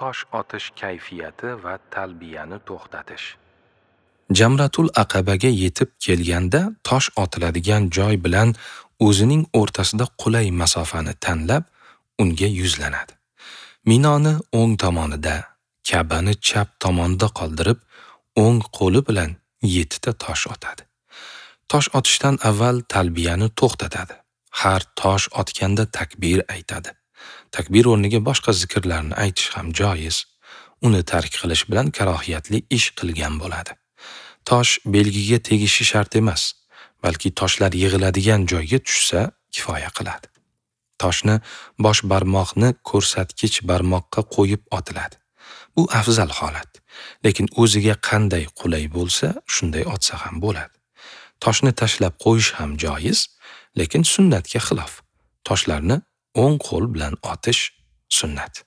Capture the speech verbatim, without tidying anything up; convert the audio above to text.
Tosh otish kayfiyati va talbiyani to'xtatish. Jamratul Aqabaga yetib kelganda tosh otiladigan joy bilan o'zining o'rtasida qulay masofani tanlab, unga yuzlanadi. Minoni o'ng tomonida, Ka'bani chap tomonida qoldirib, o'ng qo'li bilan yettita tosh otadi. Tosh otishdan avval talbiyani to'xtatadi. Har tosh otganda takbir aytadi. Takbir o'rniga boshqa zikrlarni aytish ham joiz. Uni tark qilish bilan karohiyatli ish qilgan bo'ladi. Tosh belgiga tegishi shart emas, balki toshlar yig'iladigan joyga tushsa kifoya qiladi. Toshni bosh barmoqni ko'rsatkich barmoqqa qo'yib otiladi. Bu afzal holat, lekin o'ziga qanday qulay bo'lsa, shunday otsa ham bo'ladi. Toshni tashlab qo'yish ham joiz, lekin sunnatga xilof. Toshlarni o'ng qo'l bilan otish sunnat.